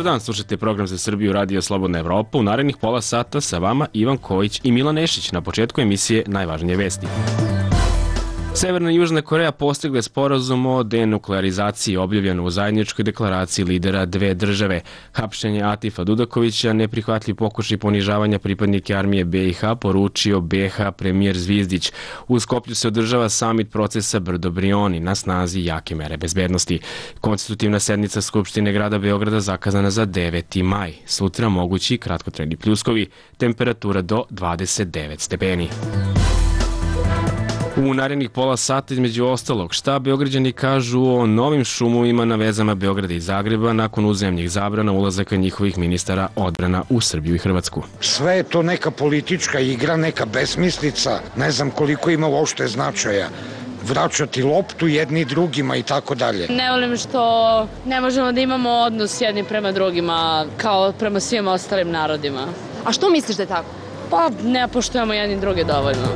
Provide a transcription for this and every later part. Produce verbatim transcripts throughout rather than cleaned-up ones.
Dobar dan, slušajte program za Srbiju Radio Slobodna Evropa. U narednih pola sata sa vama Ivan Kojić i Milan Nešić. Na početku emisije najvažnije vesti. Severna i Južna Koreja postigle sporazum o denuklearizaciji objavljeno u zajedničkoj deklaraciji lidera dve države. Hapšenje Atifa Dudakovića, neprihvatljiv pokušaj ponižavanja pripadnike armije B i H, poručio B H premijer Zvizdić. U Skoplju se održava samit procesa Brdo-Brioni, na snazi jake mere bezbednosti. Konstitutivna sednica Skupštine grada Beograda zakazana za deveti maj. Sutra mogući kratkotrajni pljuskovi, temperatura do dvadeset devet stepeni. U narednih pola sata između ostalog, šta Beograđani kažu o novim šumovima na vezama Beograda i Zagreba nakon uzajamnih zabrana ulazaka njihovih ministara odbrana u Srbiju i Hrvatsku. Sve je to neka politička igra, neka besmislica, ne znam koliko ima uopšte značaja. Vraćati loptu jedni drugima i tako dalje. Ne volim što ne možemo da imamo odnos jedni prema drugima kao prema svim ostalim narodima. A što misliš da je tako? Pa ne poštujemo jedni druge dovoljno.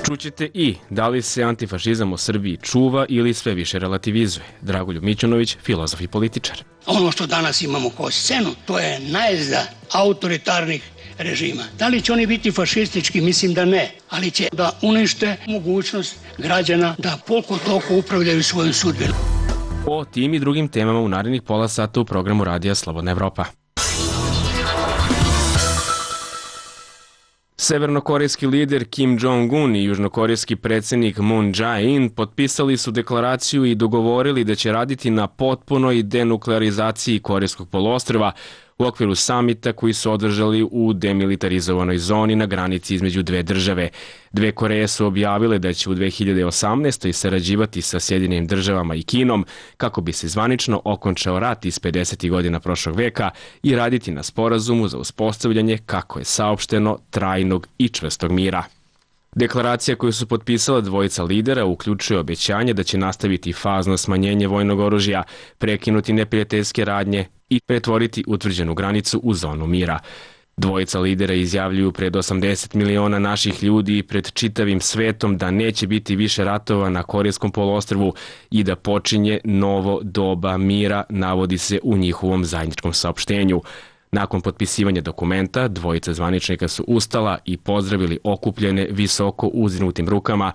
Čućete i da li se antifašizam u Srbiji čuva ili sve više relativizuje. Dragoljub Mićunović, filozof i političar. Ono što danas imamo kao scenu, to je najezda autoritarnih režima. Da li će oni biti fašistički? Mislim da ne, ali će da unište mogućnost građana da polko toliko upravljaju svojom sudbinom. O tim i drugim temama u narednih pola sata u programu Radija Slobodna Evropa. Severnokorejski lider Kim Jong-un i južnokorejski predsjednik Moon Jae-in potpisali su deklaraciju i dogovorili da će raditi na potpunoj denuklearizaciji Korejskog poluostrva u okviru samita koji su održali u demilitarizovanoj zoni na granici između dve države. Dve Koreje su objavile da će u dve hiljade osamnaestoj sarađivati sa Sjedinjenim državama i Kinom kako bi se zvanično okončao rat iz pedesetih godina prošlog veka i raditi na sporazumu za uspostavljanje, kako je saopšteno, trajnog i čvrstog mira. Deklaracija koju su potpisala dvojica lidera uključuje obećanje da će nastaviti fazno smanjenje vojnog oružja, prekinuti neprijateljske radnje i pretvoriti utvrđenu granicu u zonu mira. Dvojica lidera izjavljuju pred osamdeset miliona naših ljudi i pred čitavim svetom da neće biti više ratova na Korejskom poluostrvu i da počinje novo doba mira, navodi se u njihovom zajedničkom saopštenju. Nakon potpisivanja dokumenta, dvojica zvaničnika su ustala i pozdravili okupljene visoko uzdignutim rukama.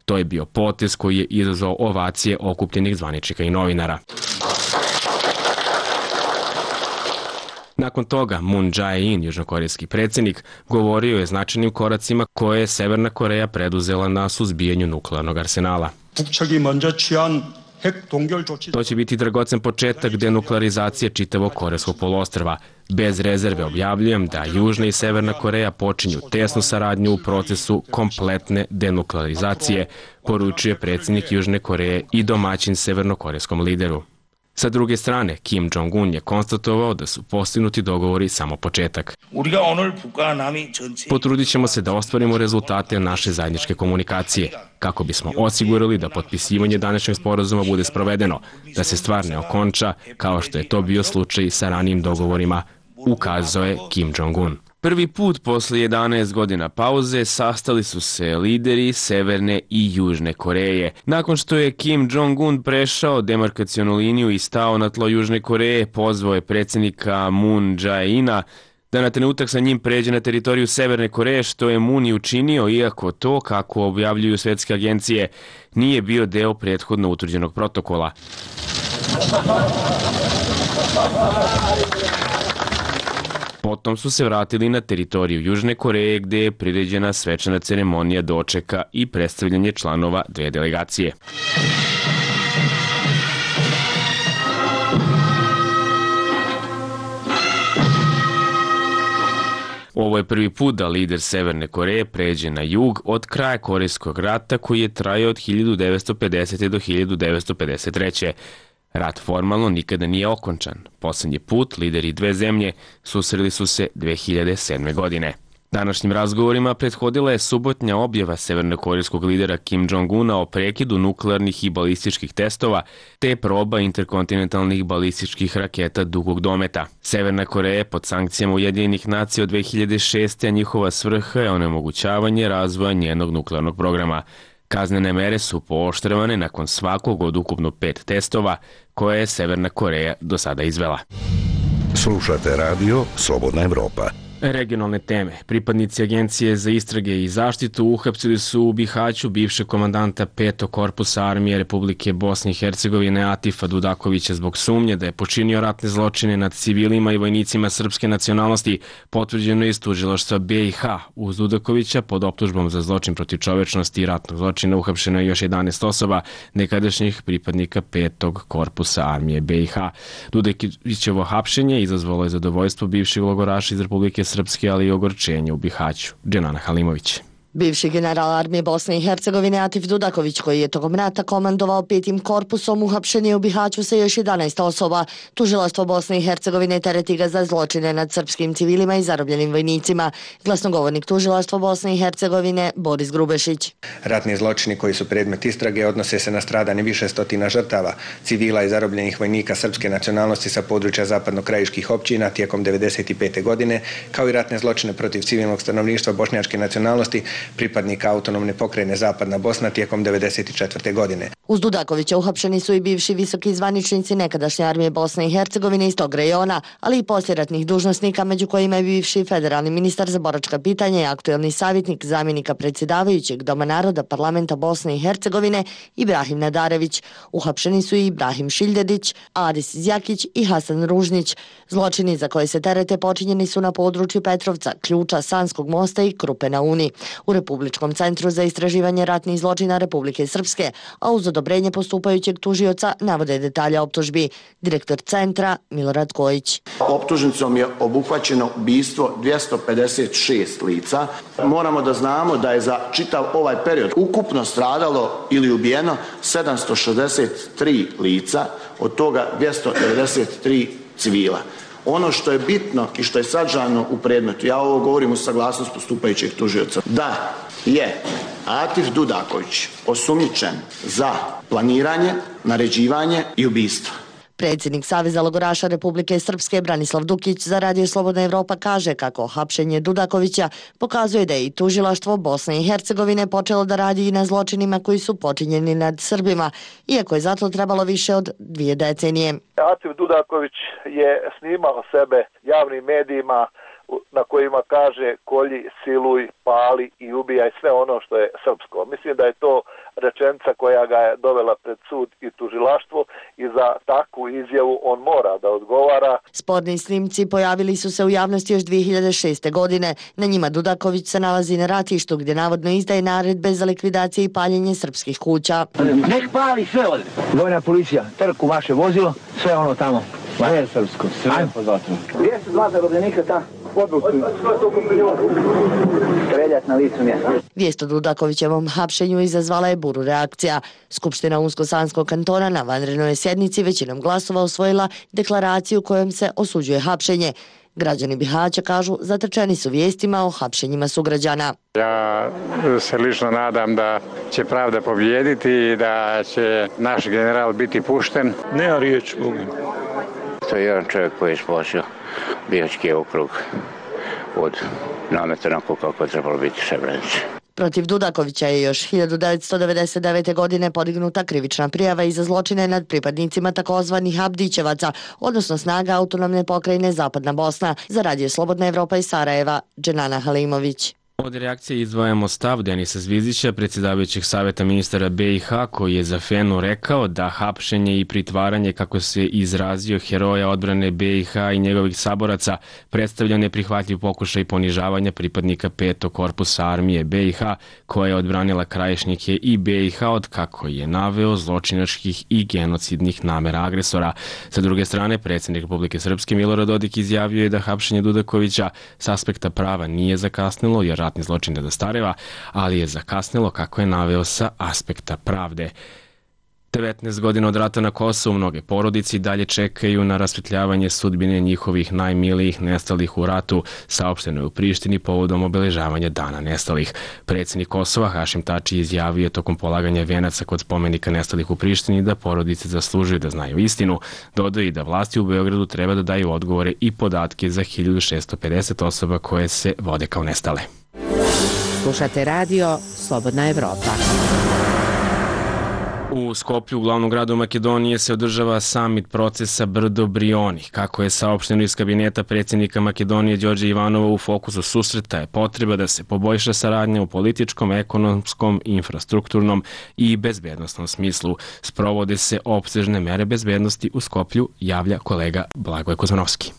To je bio potez koji je izazvao ovacije okupljenih zvaničnika i novinara. Nakon toga, Moon Jae-in, južnokorejski predsjednik, govorio je značajnim koracima koje je Severna Koreja preduzela na suzbijanju nuklearnog arsenala. To će biti dragocen početak denuklearizacije čitavog Korejskog poluostrva. Bez rezerve objavljujem da Južna i Severna Koreja počinju tesnu saradnju u procesu kompletne denuklearizacije, poručuje predsjednik Južne Koreje i domaćin severnokorejskom lideru. Sa druge strane, Kim Jong-un je konstatovao da su postignuti dogovori samo početak. Potrudit ćemo se da ostvarimo rezultate naše zajedničke komunikacije, kako bismo osigurali da potpisivanje današnjeg sporazuma bude sprovedeno, da se stvar ne okonča, kao što je to bio slučaj sa ranijim dogovorima, ukazao je Kim Jong-un. Prvi put posle jedanaest godina pauze sastali su se lideri Severne i Južne Koreje. Nakon što je Kim Jong-un prešao demarkacionu liniju i stao na tlo Južne Koreje, pozvao je predsjednika Moon Jae-ina da na trenutak sa njim pređe na teritoriju Severne Koreje, što je Moon i učinio, iako to, kako objavljuju svetske agencije, nije bio deo prethodno utvrđenog protokola. Potom su se vratili na teritoriju Južne Koreje gde je priređena svečana ceremonija dočeka i predstavljanje članova dve delegacije. Ovo je prvi put da lider Severne Koreje pređe na jug od kraja Korejskog rata koji je trajao od hiljadu devetsto pedesete. do hiljadu devetsto pedeset treće. Rat formalno nikada nije okončan. Poslednji put lideri dve zemlje susreli su se dve hiljade sedme. godine. Današnjim razgovorima prethodila je subotnja objava severnokorejskog lidera Kim Jong-una o prekidu nuklearnih i balističkih testova te proba interkontinentalnih balističkih raketa dugog dometa. Severna Koreja je pod sankcijama Ujedinjenih nacija od dve hiljade šeste. a njihova svrha je onemogućavanje razvoja njenog nuklearnog programa. Kaznene mere su pooštravane nakon svakog od ukupno pet testova koje je Severna Koreja do sada izvela. Slušate radio Slobodna Evropa. Regionalne teme. Pripadnici Agencije za istrage i zaštitu uhapsili su u Bihaću bivšeg komandanta petog korpusa armije Republike Bosne i Hercegovine Atifa Dudakovića zbog sumnje da je počinio ratne zločine nad civilima i vojnicima srpske nacionalnosti, potvrđeno iz tužilaštva B i H. Uz Dudakovića pod optužbom za zločin protiv čovečnosti i ratnog zločina uhapšeno je još jedanaest osoba nekadašnjih pripadnika petog korpusa armije B i H. Dudakovićevo hapšenje izazvalo je zadovoljstvo bivših logoraša iz Republike Srpske, ali i ogorčenje u Bihaću. Dženana Halimović. Bivši general armije Bosne i Hercegovine Atif Dudaković, koji je tokom rata komandovao petim korpusom, uhapšen je u Bihaću sa još jedanaest osoba. Tužilaštvo Bosne i Hercegovine tereti ga za zločine nad srpskim civilima i zarobljenim vojnicima. Glasnogovornik tužilaštva Bosne i Hercegovine Boris Grubešić. Ratni zločini koji su predmet istrage odnose se na stradanje više stotina žrtava, civila i zarobljenih vojnika srpske nacionalnosti sa područja zapadno-krajiških općina tijekom devedeset pete godine, kao i ratne zločine protiv civilnog stanovništva bošnjačke nacionalnosti, pripadnika autonomne pokrajine Zapadna Bosna tijekom devedeset četvrte godine. Uz Dudakovića uhapšeni su i bivši visoki zvaničnici nekadašnje armije Bosne i Hercegovine iz tog rejona, ali i poslijeratnih dužnosnika, među kojima je bivši federalni ministar za boračka pitanja i aktuelni savjetnik zamjenika predsjedavajućeg Doma naroda parlamenta Bosne i Hercegovine Ibrahim Nadarević. Uhapšeni su i Ibrahim Šiljdedić, Adis Zjakić i Hasan Ružnić. Zločini za koje se terete počinjeni su na području Petrovca, Ključa, Sanskog mosta i Krupe na Uni. U Republičkom centru za istraživanje ratnih zločina Republike Srpske, a uz odobrenje postupajućeg tužioca navode detalje optužbi. Direktor centra Milorad Kojić. Optužnicom je obuhvaćeno ubistvo dvjesto pedeset šest lica. Moramo da znamo da je za čitav ovaj period ukupno stradalo ili ubijeno sedamsto šezdeset tri lica, od toga dvjesto devedeset tri civila. Ono što je bitno i što je sadržano u predmetu, ja ovo govorim u saglasnost postupajućeg tužioca, da je Atif Dudaković osumnjičen za planiranje, naređivanje i ubistvo. Predsjednik Saveza logoraša Republike Srpske Branislav Dukić za Radio Slobodna Evropa kaže kako hapšenje Dudakovića pokazuje da je i tužilaštvo Bosne i Hercegovine počelo da radi i na zločinima koji su počinjeni nad Srbima, iako je zato trebalo više od dvije decenije. Atif Dudaković je snimao sebe javnim medijima na kojima kaže kolji, siluj, pali i ubijaj sve ono što je srpsko. Mislim da je to rečenica koja ga je dovela pred sud i tužilaštvo i za takvu izjavu on mora da odgovara. Sporni snimci pojavili su se u javnosti još dvije hiljade šeste. godine. Na njima Dudaković se nalazi na ratištu gdje navodno izdaje naredbe za likvidacije i paljenje srpskih kuća. Nek pali sve ovdje. Vojna policija, trku vaše vozilo, sve ono tamo. Sve srpsko, sve po zatru. Gdje su dva zarobljenika ta? Streljat na licu mjesta. Vijest o Dudakovićevom hapšenju izazvala je buru reakcija. Skupština Unsko-Sanskog kantona na vanrednoj sjednici većinom glasova usvojila deklaraciju kojom se osuđuje hapšenje. Građani Bihaća kažu zatečeni su vijestima o hapšenjima sugrađana. Ja se lično nadam da će pravda pobijediti i da će naš general biti pušten. Nema riječ, Bogim. To je jedan čovjek koji je spasio Bihaćki okrug od nameta onako kako je trebalo biti Srebrenici. Protiv Dudakovića je još hiljadu devetsto devedeset devete. godine podignuta krivična prijava i za zločine nad pripadnicima takozvanih Abdićevaca, odnosno snaga autonomne pokrajine Zapadna Bosna. Za Radio Slobodna Evropa iz Sarajeva, Dženana Halimović. Od reakcije izdvajamo stav Denisa Zvizdića, predsjedavajućeg savjeta ministara B i H, koji je za Fenu rekao da hapšenje i pritvaranje, kako se izrazio, heroja odbrane B i H i njegovih saboraca predstavlja neprihvatljiv pokušaj ponižavanja pripadnika petog korpusa armije B i H, koja je odbranila krajišnike i B i H od, kako je naveo, zločinačkih i genocidnih namera agresora. Sa druge strane, predsjednik Republike Srpske Milorad Dodik izjavio je da hapšenje Dudakovića s aspekta prava nije zakasnilo jer ratni zločin ne zastareva, ali je zakasnilo, kako je naveo, sa aspekta pravde. devetnaest godina od rata na Kosovu mnoge porodice dalje čekaju na rasvetljavanje sudbine njihovih najmilijih nestalih u ratu, saopšteno je u Prištini povodom obeležavanja Dana nestalih. Predsjednik Kosova Hašim Tači izjavio tokom polaganja venaca kod spomenika nestalih u Prištini da porodice zaslužuju da znaju istinu. Dodao i da vlasti u Beogradu treba da daju odgovore i podatke za hiljadu šessto pedeset osoba koje se vode kao nestale. Slušate radio Slobodna Evropa. U Skoplju, glavnom gradu Makedonije, se održava samit procesa Brdo-Brioni. Kako je saopšteno iz kabineta predsjednika Makedonije Đorđa Ivanova, u fokusu susreta je potreba da se poboljša saradnja u političkom, ekonomskom, infrastrukturnom i bezbednostnom smislu. Sprovode se opsežne mere bezbednosti u Skoplju, javlja kolega Blagoje Kuzmanovski.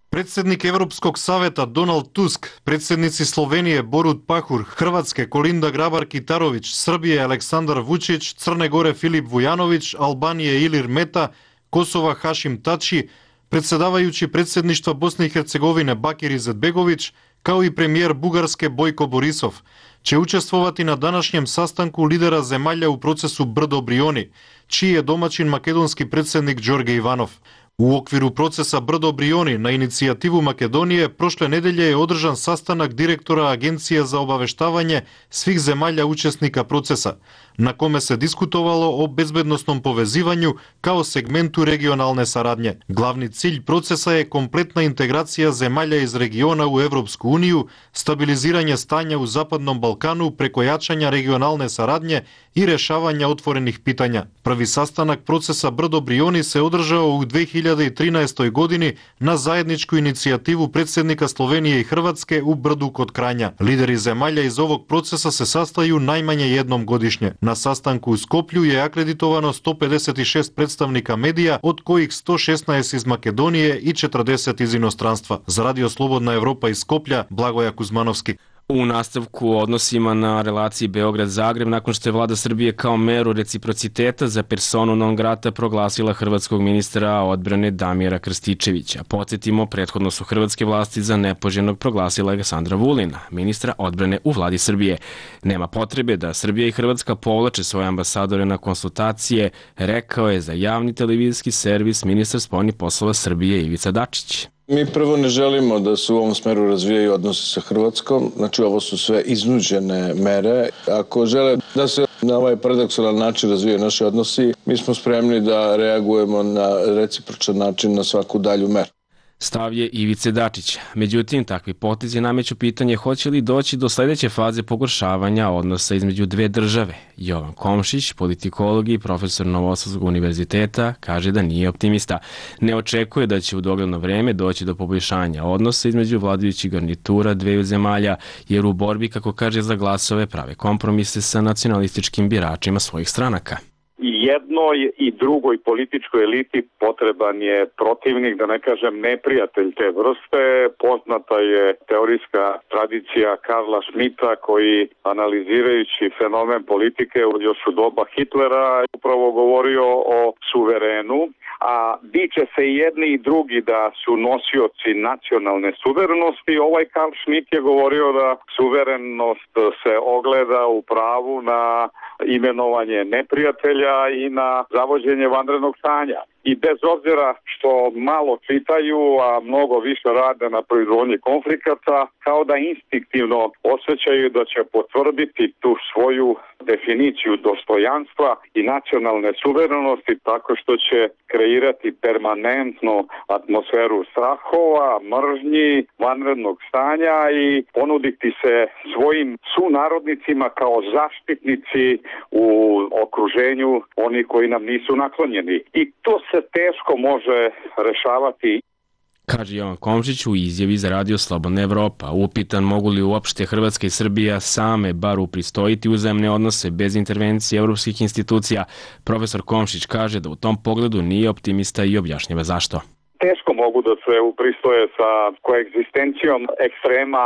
Predsjednik Evropskog saveta Donald Tusk, predsjednici Slovenije Borut Pahor, Hrvatske Kolinda Grabar-Kitarović, Srbije Aleksandar Vučić, Crne Gore Filip Vujanović, Albanije Ilir Meta, Kosova Hašim Tači, predsjedavajući predsjedništva Bosne i Hercegovine Bakir Izetbegović, kao i premijer Bugarske Bojko Borisov, će učestvovati na današnjem sastanku lidera zemalja u procesu Brdo-Brioni, čiji je domaćin makedonski predsjednik Đorđe Ivanov. U okviru procesa Brdo-Brioni na inicijativu Makedonije prošle nedelje je održan sastanak direktora Agencije za obaveštavanje svih zemalja učesnika procesa, na kome se diskutovalo o bezbednosnom povezivanju kao segmentu regionalne saradnje. Glavni cilj procesa je kompletna integracija zemalja iz regiona u Evropsku uniju, stabiliziranje stanja u Zapadnom Balkanu preko jačanja regionalne saradnje i rešavanja otvorenih pitanja. Prvi sastanak procesa Brdo-Brioni se održao u dve hiljade trinaestoj. godini na zajedničku inicijativu predsjednika Slovenije i Hrvatske u Brdu kod Kranja. Lideri zemalja iz ovog procesa se sastaju najmanje jednom godišnje. Na sastanku u Skoplju je akreditovano sto pedeset šest predstavnika medija, od kojih sto šesnaest iz Makedonije i četrdeset iz inostranstva. Za Radio Slobodna Evropa iz Skoplja, Blagoje Kuzmanovski. U nastavku o odnosima na relaciji Beograd-Zagreb, nakon što je vlada Srbije kao meru reciprociteta za personu non grata proglasila hrvatskog ministra odbrane Damira Krstičevića. Podsjetimo, prethodno su hrvatske vlasti za nepoželjnog proglasila Aleksandra Vulina, ministra odbrane u vladi Srbije. Nema potrebe da Srbija i Hrvatska povlače svoje ambasadore na konsultacije, rekao je za javni televizijski servis ministar spoljnih poslova Srbije Ivica Dačić. Mi prvo ne želimo da se u ovom smeru razvijaju odnosi sa Hrvatskom, znači ovo su sve iznuđene mere. Ako žele da se na ovaj paradoksalan način razvijaju naši odnosi, mi smo spremni da reagujemo na recipročan način na svaku dalju meru. Stav je Ivice Dačića. Međutim, takvi potezi nameću pitanje hoće li doći do sljedeće faze pogoršavanja odnosa između dve države. Jovan Komšić, politikolog i profesor Novosadskog univerziteta, kaže da nije optimista. Ne očekuje da će u dogledno vreme doći do poboljšanja odnosa između vladajućih garnitura dveju zemalja, jer u borbi, kako kaže, za glasove prave kompromise sa nacionalističkim biračima svojih stranaka. Jednoj i drugoj političkoj eliti potreban je protivnik, da ne kažem neprijatelj te vrste. Poznata je teorijska tradicija Karla Schmidta koji, analizirajući fenomen politike još u doba Hitlera, upravo govorio o suverenu, a diče se i jedni i drugi da su nosioci nacionalne suverenosti. Ovaj Karl Schmitt je govorio da suverenost se ogleda u pravu na imenovanje neprijatelja i na zavođenje vanrednog stanja. I bez obzira što malo čitaju, a mnogo više rade na proizvodnji konflikata, kao da instinktivno osjećaju da će potvrditi tu svoju definiciju dostojanstva i nacionalne suverenosti tako što će kreirati permanentno atmosferu strahova, mržnji, vanrednog stanja i ponuditi se svojim sunarodnicima kao zaštitnici u okruženju oni koji nam nisu naklonjeni. I to se teško može rešavati. Kaže Jovan Komšić u izjavi za Radio Slobodna Evropa. Upitan mogu li uopšte Hrvatska i Srbija same bar upristojiti uzajamne odnose bez intervencije evropskih institucija, profesor Komšić kaže da u tom pogledu nije optimista i objašnjava zašto. Teško mogu da se upristoje sa koegzistencijom ekstrema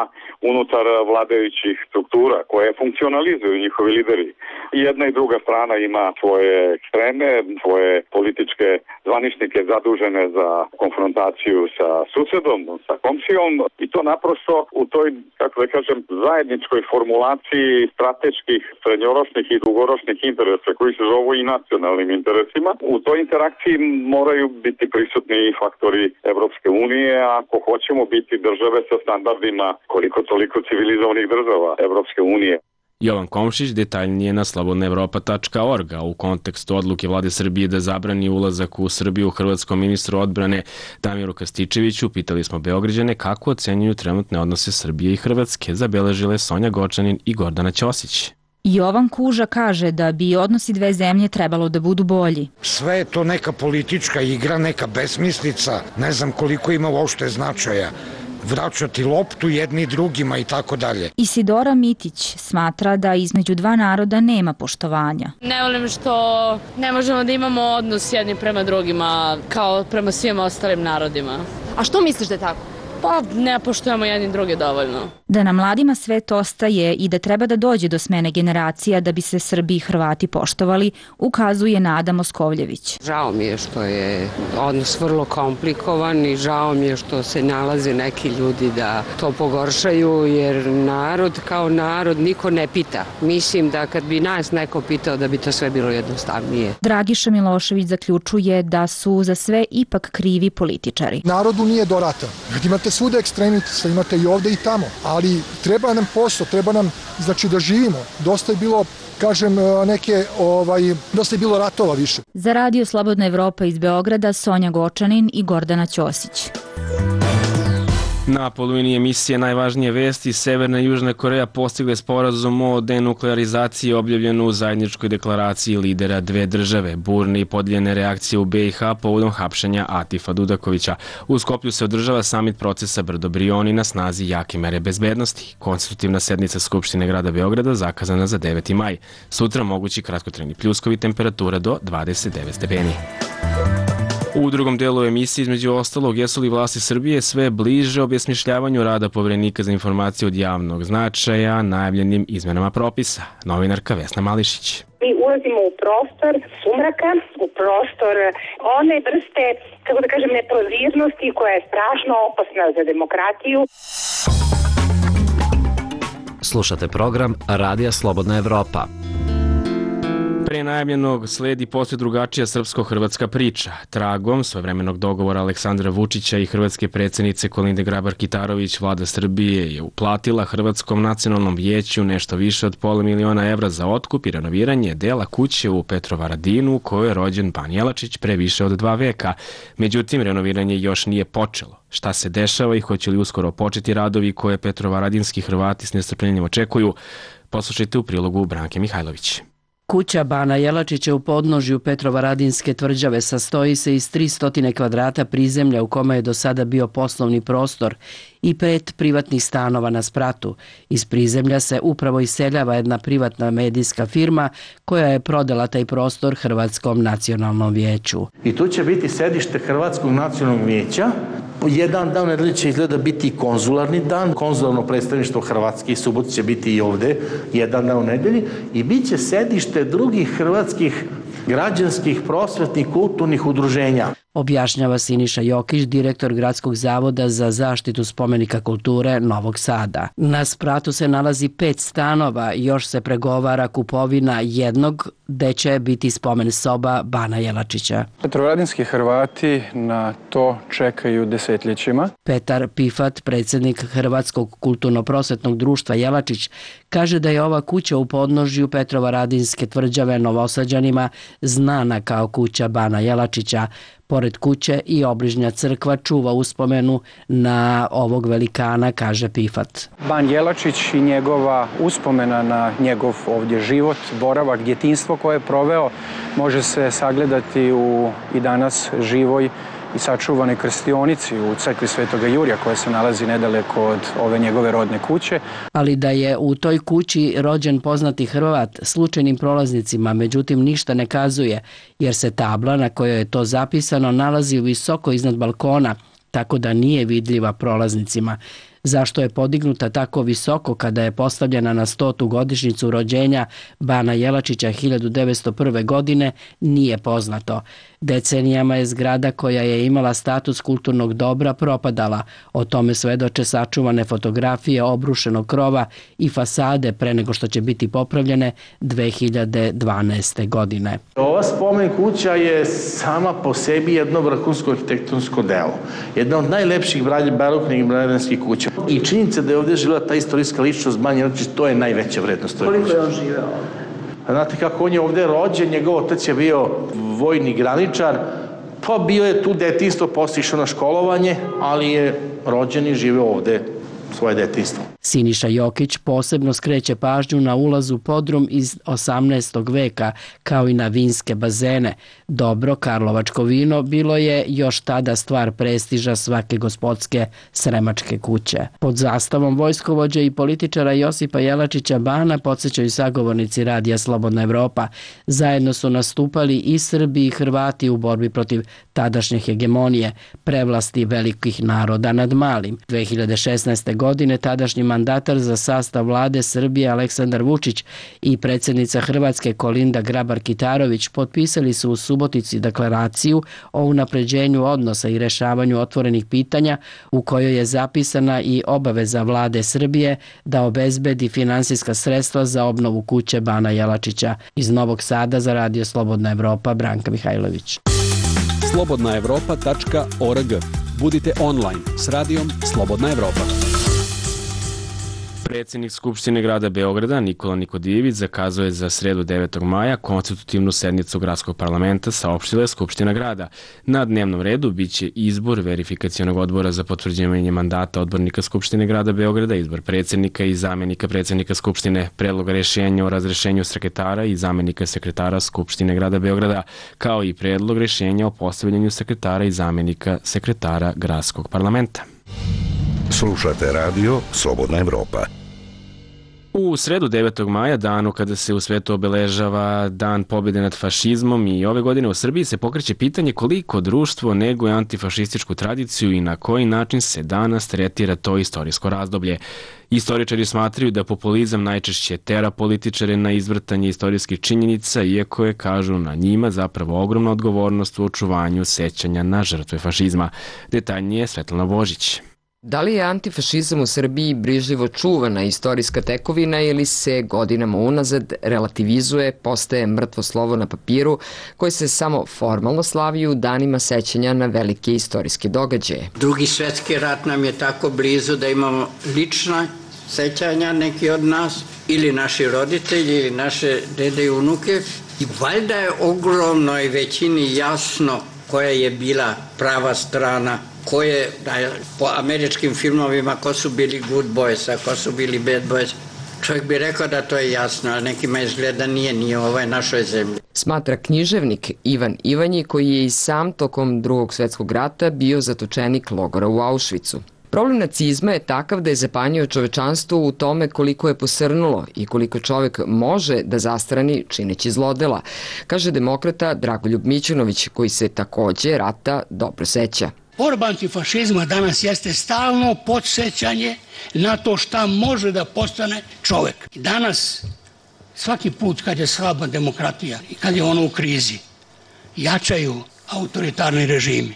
unutar vladajućih struktura koje funkcionalizuju njihovi lideri. I jedna i druga strana ima svoje ekstreme, svoje političke zvaničnike zadužene za konfrontaciju sa susedom, sa komšijom i to naprosto u toj, kako da kažem, zajedničkoj formulaciji strateških, srednjoročnih i dugoročnih interesa koji se zovu i nacionalnim interesima. U toj interakciji moraju biti prisutni i faktori Evropske unije, ako hoćemo biti države sa standardima koliko toliko civilizovanih država Evropske unije. Jovan Komšić detaljnije na slobodna evropa tačka org, a u kontekstu odluke vlade Srbije da zabrani ulazak u Srbiju hrvatskom ministru odbrane Damiru Krstičeviću, pitali smo Beograđane kako ocenjuju trenutne odnose Srbije i Hrvatske, zabeležile Sonja Gočanin i Gordana Ćosić. Jovan Kuža kaže da bi odnosi dve zemlje trebalo da budu bolji. Sve je to neka politička igra, neka besmislica, ne znam koliko ima uopšte značaja. Vraćati loptu jedni drugima i tako dalje. Isidora Mitić smatra da između dva naroda nema poštovanja. Ne volim što ne možemo da imamo odnos jedni prema drugima kao prema svim ostalim narodima. A što misliš da je tako? Pa ne poštujemo jedni druge dovoljno. Da na mladima svet ostaje i da treba da dođe do smene generacija da bi se Srbi i Hrvati poštovali, ukazuje Nada Moskovljević. Žao mi je što je odnos vrlo komplikovan i žao mi je što se nalaze neki ljudi da to pogoršaju, jer narod kao narod niko ne pita. Mislim da kad bi nas neko pitao da bi to sve bilo jednostavnije. Dragiša Milošević zaključuje da su za sve ipak krivi političari. Narodu nije do rata. Imate svuda ekstremista, imate i ovde i tamo, ali treba nam posao, treba nam, znači, da živimo. Dosta je bilo, kažem, neke, ovaj, dosta je bilo ratova više. Za Radio Slobodna Evropa iz Beograda, Sonja Gočanin i Gordana Ćosić. Na polovini emisije najvažnije vesti, Severna i Južna Koreja postigle sporazum o denuklearizaciji objavljenu u zajedničkoj deklaraciji lidera dve države. Burne i podijeljene reakcije u be i ha povodom hapšenja Atifa Dudakovića. U Skoplju se održava samit procesa Brdo-Brioni na snazi jake mere bezbednosti. Konstitutivna sednica Skupštine grada Beograda zakazana za deveti maj. Sutra mogući kratkotrajni pljuskovi, temperatura do dvadeset devet stepeni. U drugom delu emisije, između ostalog, jesu li vlasti Srbije sve bliže objesmišljavanju rada Poverenika za informacije od javnog značaja najavljenim izmenama propisa? Novinarka Vesna Mališić. Mi ulazimo u prostor sumraka, u prostor one vrste, kako da kažem, neprozirnosti koja je strašno opasna za demokratiju. Slušate program Radija Slobodna Evropa. Pre najavljenog sledi posve drugačija srpsko-hrvatska priča. Tragom svojevremenog dogovora Aleksandra Vučića i hrvatske predsjednice Kolinde Grabar-Kitarović, vlada Srbije je uplatila Hrvatskom nacionalnom vijeću nešto više od pola miliona evra za otkup i renoviranje dela kuće u Petrovaradinu u kojoj je rođen Ban Jelačić pre više od dva veka. Međutim, renoviranje još nije počelo. Šta se dešava i hoće li uskoro početi radovi koje petrovaradinski Hrvati s nestrpljenjem očekuju? Poslušajte u prilogu Branke Mihajlović. Kuća Bana Jelačića u podnožju Petrovaradinske tvrđave sastoji se iz tristo kvadrata prizemlja u kome je do sada bio poslovni prostor i pet privatnih stanova na spratu. Iz prizemlja se upravo iseljava jedna privatna medijska firma koja je prodala taj prostor Hrvatskom nacionalnom vijeću. I tu će biti sedište Hrvatskog nacionalnog vijeća. Jedan dan u nedelji će izgleda biti konzularni dan, konzularno predstavništvo Hrvatske i subot će biti i ovde, jedan dan u nedelji, i bit će sedište drugih hrvatskih građanskih, prosvetnih, kulturnih udruženja. Objašnjava Siniša Jokić, direktor Gradskog zavoda za zaštitu spomenika kulture Novog Sada. Na spratu se nalazi pet stanova i još se pregovara kupovina jednog gde će biti spomen soba Bana Jelačića. Petrovaradinski Hrvati na to čekaju desetljećima. Petar Pifat, predsjednik Hrvatskog kulturno-prosvetnog društva Jelačić, kaže da je ova kuća u podnožju Petrovaradinske tvrđave Novosađanima znana kao kuća Bana Jelačića. Pored kuće i obližnja crkva čuva uspomenu na ovog velikana, kaže Pifat. Ban Jelačić i njegova uspomena na njegov ovdje život, boravak, djetinjstvo koje je proveo može se sagledati u i danas živoj i sačuvanoj krstionici u crkvi Svetoga Jurija koja se nalazi nedaleko od ove njegove rodne kuće. Ali da je u toj kući rođen poznati Hrvat slučajnim prolaznicima, međutim ništa ne kazuje, jer se tabla na kojoj je to zapisano nalazi visoko iznad balkona, tako da nije vidljiva prolaznicima. Zašto je podignuta tako visoko kada je postavljena na stotu godišnjicu rođenja Bana Jelačića hiljadu devetsto prve. godine, nije poznato. Decenijama je zgrada koja je imala status kulturnog dobra propadala. O tome svedoče sačuvane fotografije obrušenog krova i fasade pre nego što će biti popravljene dve hiljade dvanaeste. godine. Ova spomen kuća je sama po sebi jedno vrhunsko arhitektonsko delo. Jedna od najlepših baroknih bradanskih kuća. I činjenica da je ovdje živjela ta istorijska ličnost Ban Jelačić, to je najveća vrednost. Koliko je on živeo? Znate kako on je ovdje rođen, njegov otac je bio vojni graničar, pa bio je tu detinjstvo, posle išao na školovanje, ali je rođen i živeo ovdje svoje detinjstvo. Siniša Jokić posebno skreće pažnju na ulaz u podrum iz osamnaestog veka, kao i na vinske bazene. Dobro karlovačko vino bilo je još tada stvar prestiža svake gospodske sremačke kuće. Pod zastavom vojskovođe i političara Josipa Jelačića Bana podsjećaju sagovornici Radija Slobodna Evropa. Zajedno su nastupali i Srbi i Hrvati u borbi protiv tadašnje hegemonije, prevlasti velikih naroda nad malim. dve hiljade šesnaeste. godine tadašnji mandatar za sastav vlade Srbije Aleksandar Vučić i predsjednica Hrvatske Kolinda Grabar-Kitarović potpisali su u Subotici deklaraciju o unapređenju odnosa i rešavanju otvorenih pitanja, u kojoj je zapisana i obaveza vlade Srbije da obezbedi finansijska sredstva za obnovu kuće Bana Jelačića. Iz Novog Sada za Radio Slobodna Evropa, Branka Mihajlović. slobodna evropa tačka org. Budite online s radijom Slobodna Evropa. Predsjednik Skupštine grada Beograda Nikola Nikodijević zakazuje za sredu devetog maja konstitutivnu sednicu gradskog parlamenta, saopštila je Skupština grada. Na dnevnom redu biće izbor verifikacionog odbora za potvrđivanje mandata odbornika Skupštine grada Beograda, izbor predsjednika i zamjenika predsjednika Skupštine, predlog rješenja o razrešenju sekretara i zamjenika sekretara Skupštine grada Beograda, kao i predlog rješenja o postavljanju sekretara i zamjenika sekretara gradskog parlamenta. Slušate radio Slobodna Evropa. U sredu devetog maja, danu kada se u svetu obeležava Dan pobjede nad fašizmom, i ove godine u Srbiji se pokreće pitanje koliko društvo neguje antifašističku tradiciju i na koji način se danas tretira to istorijsko razdoblje. Istoričari smatraju da populizam najčešće tera političare na izvrtanje istorijskih činjenica, iako je, kažu, na njima zapravo ogromna odgovornost u očuvanju sećanja na žrtve fašizma. Detaljnije Svetlana Božić. Da li je antifašizam u Srbiji brižljivo čuvana istorijska tekovina ili se godinama unazad relativizuje, postaje mrtvo slovo na papiru koje se samo formalno slavi u danima sećanja na velike istorijske događaje? Drugi svetski rat nam je tako blizu da imamo lična sećanja neki od nas, ili naši roditelji, ili naše dede i unuke, i valjda je ogromnoj većini jasno koja je bila prava strana, koje, po američkim filmovima, ko su bili good boys, a ko su bili bad boys. Čovjek bi rekao da to je jasno, ali nekima izgleda nije, nije u ovoj našoj zemlji. Smatra književnik Ivan Ivanji, koji je i sam tokom Drugog svjetskog rata bio zatočenik logora u Auschwitzu. Problem nacizma je takav da je zapanjio čovečanstvo u tome koliko je posrnulo i koliko čovjek može da zastrani čineći zlodela, kaže demokrata Dragoljub Mićunović, koji se takođe rata dobro seća. Borba antifašizma danas jeste stalno podsjećanje na to šta može da postane čovjek. Danas, svaki put kad je slaba demokratija i kad je ono u krizi, jačaju autoritarni režimi.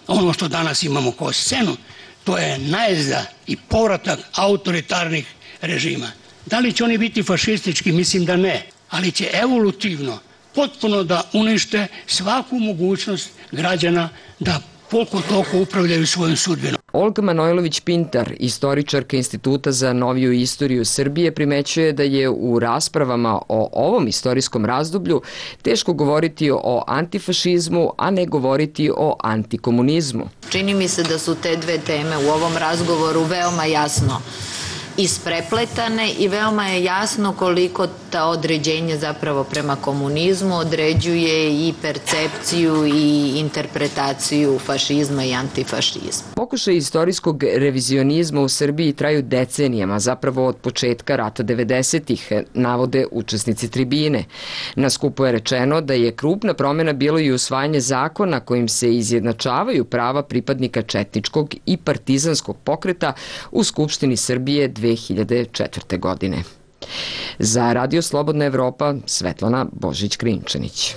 Ono što danas imamo kao scenu, to je najezda i povratak autoritarnih režima. Da li će oni biti fašistički? Mislim da ne, ali će evolutivno potpuno da unište svaku mogućnost građana da koliko toliko upravljaju svojom sudbinom. Olga Manojlović-Pintar, istoričarka Instituta za noviju istoriju Srbije, primećuje da je u raspravama o ovom istorijskom razdoblju teško govoriti o antifašizmu, a ne govoriti o antikomunizmu. Čini mi se da su te dve teme u ovom razgovoru veoma jasno isprepletane i veoma je jasno koliko ta određenje zapravo prema komunizmu određuje i percepciju i interpretaciju fašizma i antifašizma. Pokušaj istorijskog revizionizma u Srbiji traju decenijama, zapravo od početka rata devedesetih, navode učesnici tribine. Na skupu je rečeno da je krupna promjena bilo i usvajanje zakona kojim se izjednačavaju prava pripadnika četničkog i partizanskog pokreta u Skupštini Srbije dve hiljade četvrte. godine. Za Radio Slobodna Evropa, Svetlana Božić-Krinčanić.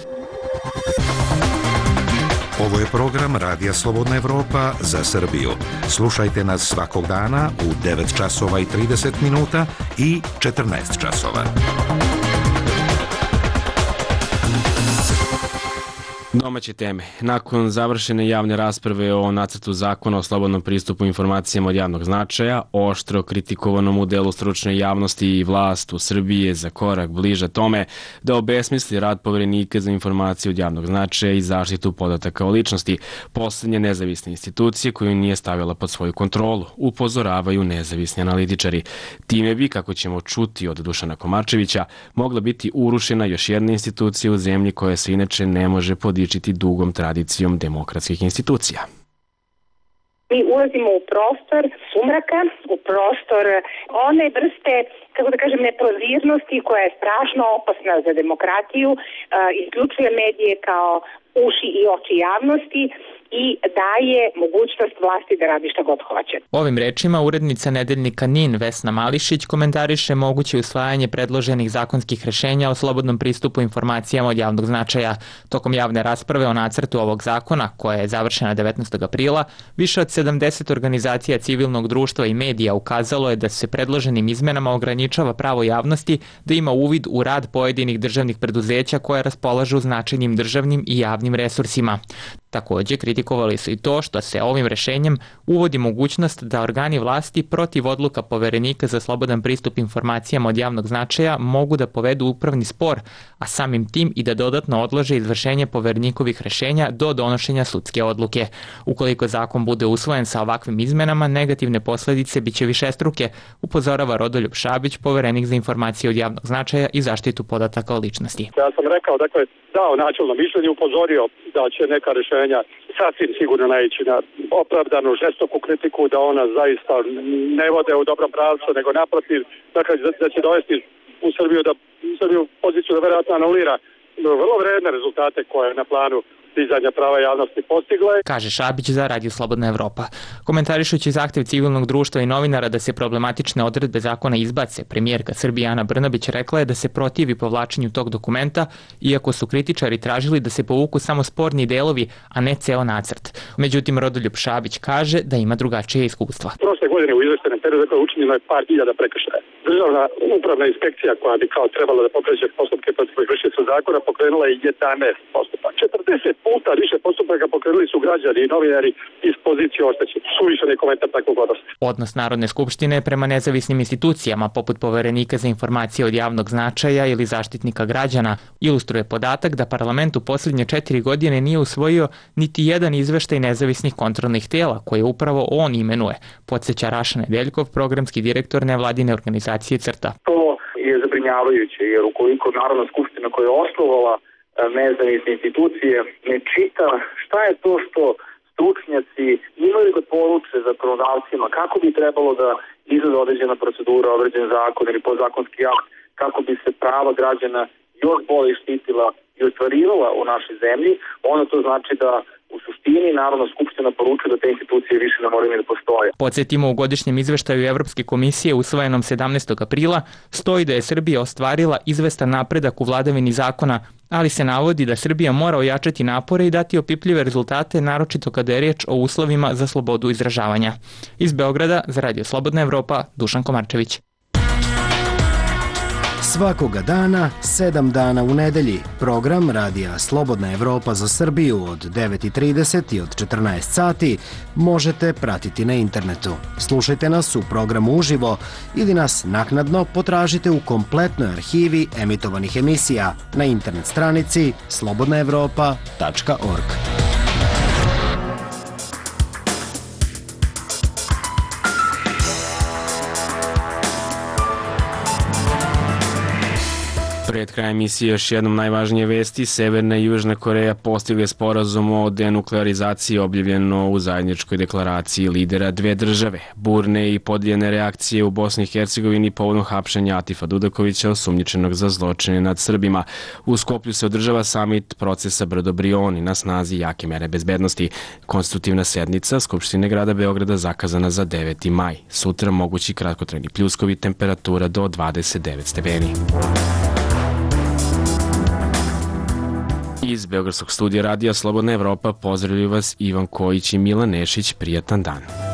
Ovo je program Radija Slobodna Evropa za Srbiju. Slušajte nas svakog dana u devet časova i trideset minuta i četrnaest časova. Domaće teme. Nakon završene javne rasprave o nacrtu zakona o slobodnom pristupu informacijama od javnog značaja, oštro kritikovanom u delu stručne javnosti i vlast u Srbiji je za korak bliža tome da obesmisli rad Poverenika za informacije od javnog značaja i zaštitu podataka o ličnosti, poslednje nezavisne institucije koju nije stavila pod svoju kontrolu, upozoravaju nezavisni analitičari. Time bi, kako ćemo čuti od Dušana Komarčevića, mogla biti urušena još jedna institucija u zemlji koja se inače ne može podičiti dugom tradicijom demokratskih institucija. Mi ulazimo u prostor sumraka, u prostor one vrste, kako da kažem, neprozirnosti koja je strašno opasna za demokratiju, isključuje medije kao uši i oči javnosti i daje mogućnost vlasti da radi šta god hoće. Ovim rečima urednica nedeljnika N I N Vesna Mališić komentariše moguće usvajanje predloženih zakonskih rešenja o slobodnom pristupu informacijama od javnog značaja. Tokom javne rasprave o nacrtu ovog zakona, koja je završena devetnaestog aprila, više od sedamdeset organizacija civilnog društva i medija ukazalo je da se predloženim izmenama ograničava pravo javnosti da ima uvid u rad pojedinih državnih preduzeća koje raspolažu značajnim državnim i javnim resursima. Takođe, kritikovali su i to što se ovim rešenjem uvodi mogućnost da organi vlasti protiv odluka Poverenika za slobodan pristup informacijama od javnog značaja mogu da povedu upravni spor, a samim tim i da dodatno odlože izvršenje Poverenikovih rešenja do donošenja sudske odluke. Ukoliko zakon bude usvojen sa ovakvim izmenama, negativne posledice biće višestruke, upozorava Rodoljub Šabić, Poverenik za informacije od javnog značaja i zaštitu podataka o ličnosti. Ja sam rekao, dakle, dao načelno mišljenje, upozorio da će neka rešenja sasvim sigurno naići na opravdanu žestoku kritiku, da ona zaista ne vode u dobrom pravcu, nego naprotiv, dakle, da će dovesti u Srbiju, da, u Srbiju poziciju da verovatno anulira vrlo vredne rezultate koje na planu dizanja prava javnosti postigle. Kaže Šabić za Radio Slobodna Evropa. Komentarišući zahtev civilnog društva i novinara da se problematične odredbe zakona izbace, premijerka Srbije Ana Brnabić rekla je da se protivi povlačenju tog dokumenta, iako su kritičari tražili da se povuku samo sporni delovi, a ne ceo nacrt. Međutim, Rodoljub Šabić kaže da ima drugačije iskustva. Prošle godine u izveštenom periodu dakle, učinjeno je par hiljada prekršaja. Državna upravna inspekcija koja bi kao trebala da pokreće postupke protiv prekršioca zakona pokrenula je jedanaest postupaka. četrdeset puta više postupaka pokrenuli su građani i novinari iz pozicije oštećenih. Suvišan je komentar takvog odnosa. Odnos Narodne skupštine prema nezavisnim institucijama poput Poverenika za informacije od javnog značaja ili Zaštitnika građana ilustruje podatak da parlament u posljednje četiri godine nije usvojio niti jedan izveštaj nezavisnih kontrolnih tela koje upravo on imenuje, podsjeća Raša Nedeljkov, programski direktor nevladine organizacije CRTA. To je zabrinjavajuće jer ukoliko Narodna skupština koja je osnovala nezavisne institucije ne čita šta je to što stručnjaci imaju da poruče zakonodavcima, kako bi trebalo da izgleda određena procedura, određen zakon ili podzakonski akt, kako bi se prava građana još bolje štitila i ostvarivala u našoj zemlji, onda to znači da u suštini Narodna skupština poručuje da te institucije više ne moraju ni da postoje. Podsjetimo, u godišnjem izveštaju Evropske komisije usvojenom sedamnaestog aprila stoji da je Srbija ostvarila izvestan napredak u vladavini zakona, ali se navodi da Srbija mora ojačati napore i dati opipljive rezultate, naročito kada je riječ o uslovima za slobodu izražavanja. Iz Beograda za Radio Slobodna Evropa, Dušan Komarčević. Svakoga dana, sedam dana u nedelji, program Radija Slobodna Evropa za Srbiju od devet i trideset i od četrnaest sati možete pratiti na internetu. Slušajte nas u programu uživo ili nas naknadno potražite u kompletnoj arhivi emitovanih emisija na internet stranici slobodna evropa tačka org. Pred krajem emisije još jednom najvažnije vesti. Severna i Južna Koreja postigli sporazum o denuklearizaciji objavljeno u zajedničkoj deklaraciji lidera dve države. Burne i podijeljene reakcije u Bosni i Hercegovini povodom hapšenja Atifa Dudakovića, osumnjičenog za zločine nad Srbima. U Skoplju se održava samit procesa Brdo Brioni, na snazi jake mere bezbednosti. Konstitutivna sednica Skupštine grada Beograda zakazana za deveti maj. Sutra mogući kratkotrajni pljuskovi, temperatura do dvadeset devet stepeni. Iz Beogradskog studija Radija Slobodna Evropa pozdravljaju vas Ivan Kojić i Milan Nešić. Prijatan dan.